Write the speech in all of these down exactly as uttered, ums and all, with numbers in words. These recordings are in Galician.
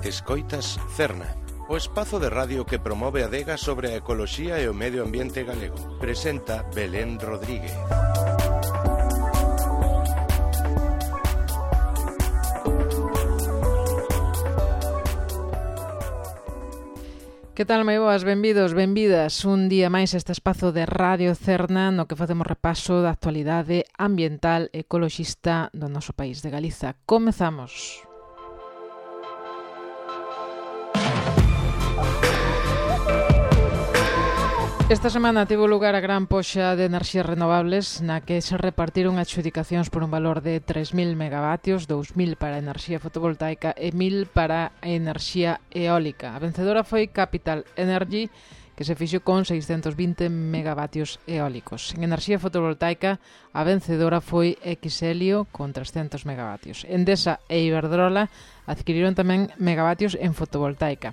Escoitas Cerna, o espazo de radio que promove a adega sobre a ecoloxía e o medio ambiente galego. Presenta Belén Rodríguez. Que tal, moi boas, benvidos, benvidas un día máis a este espazo de Radio Cerna no que facemos repaso da actualidade ambiental e ecoloxista do noso país de Galiza. Comezamos. Esta semana tivo lugar a gran poxa de enerxías renovables na que se repartiron adxudicacións por un valor de tres mil megavatios, dous mil para a enerxía fotovoltaica e mil para a enerxía eólica. A vencedora foi Capital Energy, que se fixo con seiscentos vinte megavatios eólicos. En enerxía fotovoltaica, a vencedora foi Xelio con trescentos megavatios. Endesa e Iberdrola adquiriron tamén megavatios en fotovoltaica.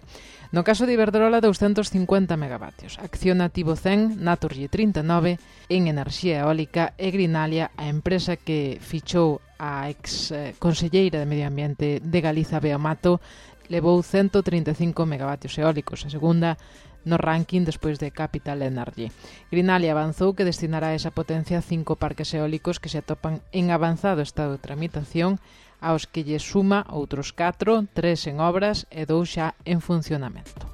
No caso de Iberdrola, doscientos cincuenta megavatios. Acciona tivo cen, Naturgy trinta e nove, en enerxía eólica e Greenalia, a empresa que fichou a ex conselleira de Medio Ambiente de Galiza, Bea Mato, levou ciento trinta e cinco megavatios eólicos, a segunda no ranking despois de Capital Energy. Greenalia avanzou que destinará esa potencia a cinco parques eólicos que se atopan en avanzado estado de tramitación, aos que lle suma outros catro, tres en obras e dous xa en funcionamento.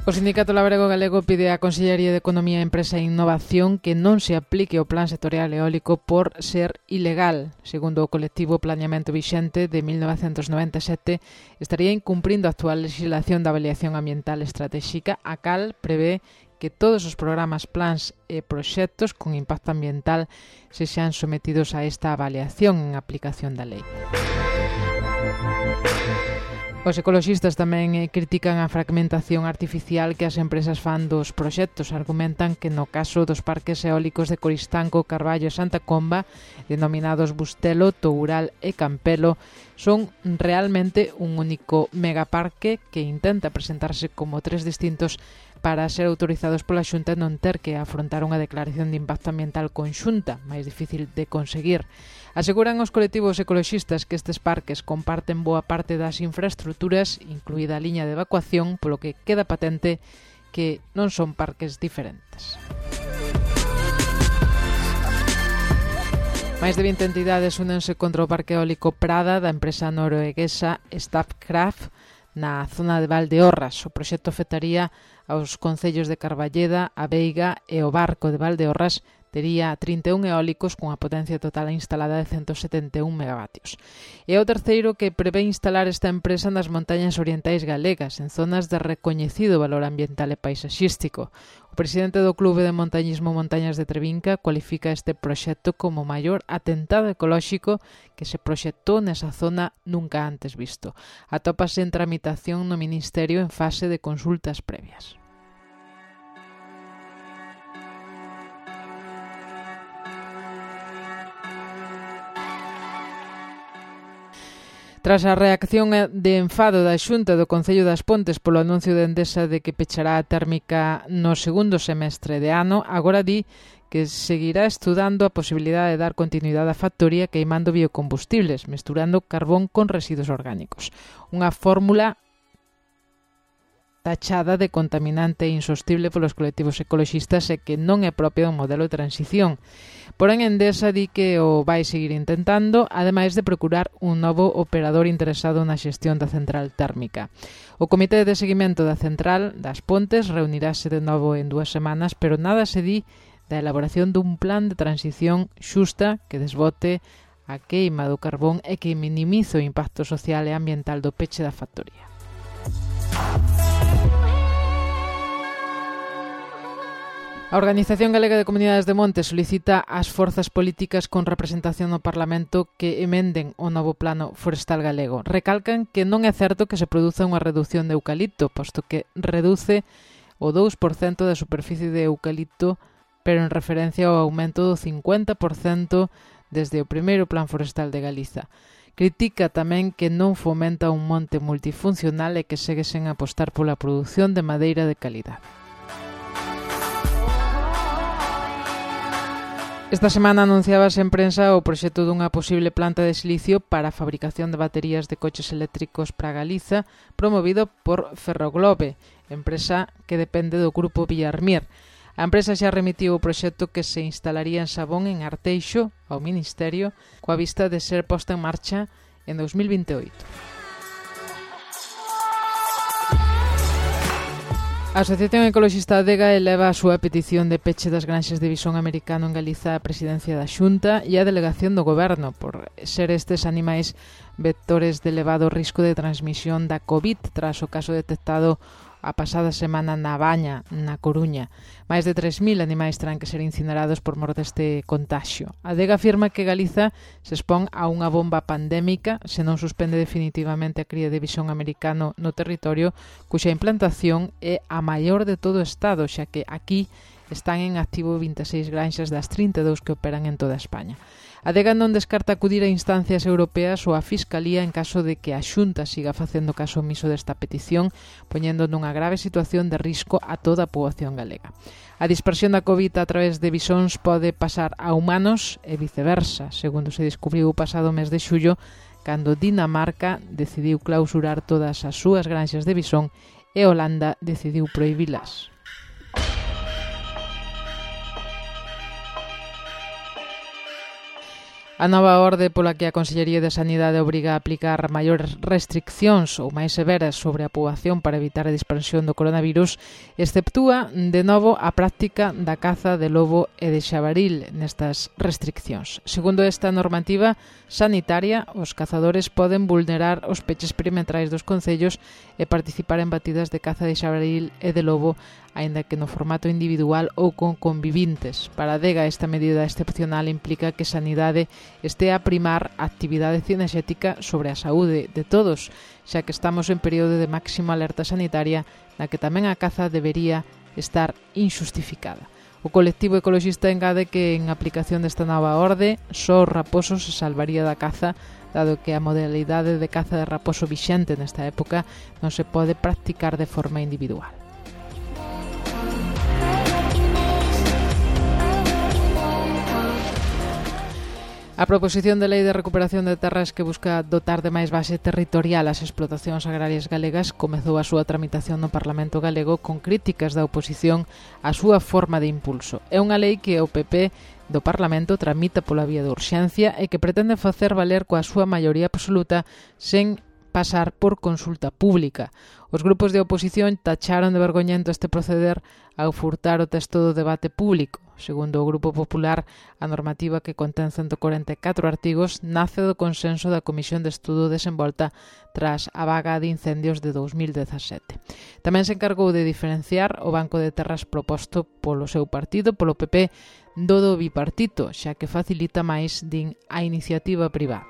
O Sindicato Labrego Galego pide á Consellería de Economía, Empresa e Innovación que non se aplique o Plan Sectorial Eólico por ser ilegal. Segundo o colectivo Planeamento Vixente de mil novecentos noventa e sete, estaría incumprindo a actual legislación da avaliación ambiental estratégica, a cal prevé que todos os programas, plans e proxectos con impacto ambiental se xan sometidos a esta avaliación en aplicación da lei. Os ecoloxistas tamén critican a fragmentación artificial que as empresas fan dos proxectos. Argumentan que no caso dos parques eólicos de Coristanco, Carballo e Santa Comba, denominados Bustelo, Toural e Campelo, son realmente un único megaparque que intenta presentarse como tres distintos para ser autorizados pola Xunta e non ter que afrontar unha declaración de impacto ambiental conxunta, máis difícil de conseguir. Aseguran os colectivos ecoloxistas que estes parques comparten boa parte das infraestructuras, incluída a liña de evacuación, polo que queda patente que non son parques diferentes. Máis de vinte entidades únense contra o parque eólico Prada da empresa norueguesa Statkraft na zona de Valdeorras. O proxecto afectaría aos concellos de Carballeda, A Veiga e o Barco de Valdeorras. Tería trinta e un eólicos cunha potencia total instalada de ciento setenta e un megavatios. E o terceiro que prevé instalar esta empresa nas montañas orientais galegas, en zonas de recoñecido valor ambiental e paisaxístico. O presidente do Clube de Montañismo Montañas de Trevinca cualifica este proxecto como o maior atentado ecolóxico que se proxectou nesa zona nunca antes visto. Atópase en tramitación no Ministerio en fase de consultas previas. Tras a reacción de enfado da Xunta do Concello das Pontes polo anuncio de Endesa de que pechará a térmica no segundo semestre de ano, agora di que seguirá estudando a posibilidade de dar continuidade á factoría queimando biocombustibles, mesturando carbón con residuos orgánicos. Unha fórmula tachada de contaminante e insostible polos colectivos ecoloxistas e que non é propia do modelo de transición. Porén, Endesa di que o vai seguir intentando, ademais de procurar un novo operador interesado na xestión da central térmica. O Comité de Seguimento da Central das Pontes reunirase de novo en dúas semanas, pero nada se di da elaboración dun plan de transición xusta que desbote a queima do carbón e que minimize o impacto social e ambiental do peche da factoría. A Organización Galega de Comunidades de Monte solicita ás forzas políticas con representación no Parlamento que emenden o novo plano forestal galego. Recalcan que non é certo que se produza unha reducción de eucalipto, posto que reduce o dous por cento da superficie de eucalipto, pero en referencia ao aumento do cincuenta por cento desde o primeiro plan forestal de Galiza. Critica tamén que non fomenta un monte multifuncional e que segue sen apostar pola produción de madeira de calidade. Esta semana anunciábase en prensa o proxecto dunha posible planta de silicio para a fabricación de baterías de coches eléctricos para Galiza, promovido por Ferroglobe, empresa que depende do grupo Villarmir. A empresa xa remitiu o proxecto que se instalaría en Sabón, en Arteixo, ao Ministerio, coa vista de ser posta en marcha en dos mil vinte e oito. A Asociación Ecoloxista Adega eleva a súa petición de peche das granxas de visón americano en Galiza á presidencia da Xunta e á delegación do Goberno por ser estes animais vectores de elevado risco de transmisión da COVID tras o caso detectado a pasada semana na Baña, na Coruña. Mais de tres mil animais terán que ser incinerados por mor deste contagio. A Adega afirma que Galiza se expón a unha bomba pandémica se non suspende definitivamente a cría de visón americano no territorio, cuxa implantación é a maior de todo o Estado, xa que aquí están en activo vinte e seis granxas das trinta e dous que operan en toda España. A Adega non descarta acudir a instancias europeas ou a Fiscalía en caso de que a Xunta siga facendo caso omiso desta petición, poñendo nunha grave situación de risco a toda a poboación galega. A dispersión da COVID a través de visóns pode pasar a humanos e viceversa, segundo se descubriu o pasado mes de xullo, cando Dinamarca decidiu clausurar todas as súas granxas de visón e Holanda decidiu prohibilas. A nova orde pola que a Consellería de Sanidade obriga a aplicar maiores restriccións ou máis severas sobre a poboación para evitar a dispersión do coronavirus exceptúa de novo a práctica da caza de lobo e de xabaril nestas restriccións. Segundo esta normativa sanitaria, os cazadores poden vulnerar os peches perimetrais dos concellos e participar en batidas de caza de xabaril e de lobo, aínda que no formato individual ou con convivintes. Para a Adega, esta medida excepcional implica que Sanidade este a primar a actividade cinexética sobre a saúde de todos, xa que estamos en período de máxima alerta sanitaria na que tamén a caza debería estar inxustificada. O colectivo ecoloxista engade que en aplicación desta nova orde só o raposo se salvaría da caza, dado que a modalidade de caza de raposo vixente nesta época non se pode practicar de forma individual. A proposición de lei de recuperación de terras que busca dotar de máis base territorial as explotacións agrarias galegas comezou a súa tramitación no Parlamento galego con críticas da oposición á súa forma de impulso. É unha lei que o P P do Parlamento tramita pola vía de urxencia e que pretende facer valer coa súa maioría absoluta sen pasar por consulta pública. Os grupos de oposición tacharon de vergoñento este proceder ao furtar o texto do debate público. Segundo o Grupo Popular, a normativa que contén ciento corenta e catro artigos nace do consenso da Comisión de Estudo desenvolta tras a vaga de incendios de dous mil dezasete. Tamén se encargou de diferenciar o banco de terras proposto polo seu partido, polo P P, do do bipartito, xa que facilita máis, din, a iniciativa privada.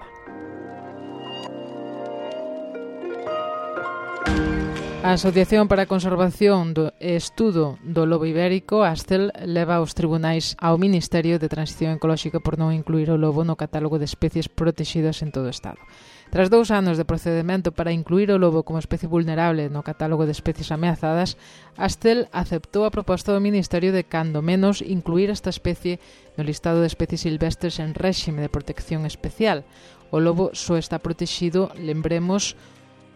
A Asociación para a Conservación e Estudo do Lobo Ibérico, ASTEL, leva aos tribunais ao Ministerio de Transición Ecolóxica por non incluir o lobo no catálogo de especies protegidas en todo o Estado. Tras dous anos de procedemento para incluir o lobo como especie vulnerable no catálogo de especies ameazadas, ASTEL aceptou a proposta do Ministerio de, cando menos, incluir esta especie no listado de especies silvestres en réxime de protección especial. O lobo só está protegido, lembremos,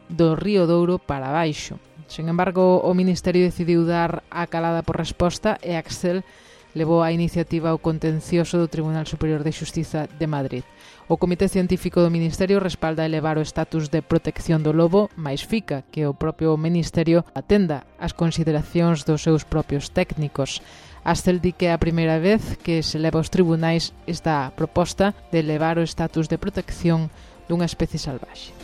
do Río Douro para baixo. Sen embargo, o Ministerio decidiu dar a calada por resposta e Axel levou a iniciativa ao contencioso do Tribunal Superior de Xustiza de Madrid. O Comité Científico do Ministerio respalda elevar o estatus de protección do lobo, máis fica que o propio Ministerio atenda as consideracións dos seus propios técnicos. Axel di que é a primeira vez que se leva aos tribunais esta proposta de elevar o estatus de protección dunha especie salvaxe.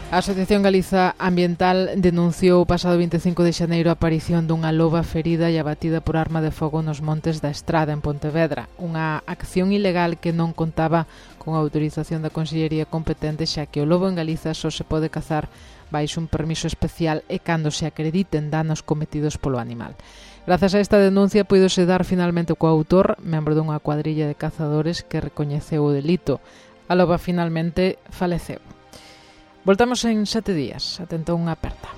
A Asociación Galiza Ambiental denunciou o pasado vinte e cinco de xaneiro a aparición dunha loba ferida e abatida por arma de fogo nos montes da Estrada, en Pontevedra. Unha acción ilegal que non contaba con a autorización da Consellería competente, xa que o lobo en Galiza só se pode cazar baixo un permiso especial e cando se acrediten danos cometidos polo animal. Grazas a esta denuncia puidose dar finalmente co autor, membro dunha cuadrilla de cazadores que recoñeceu o delito. A loba finalmente faleceu. Voltamos en sete días. Atento a unha aperta.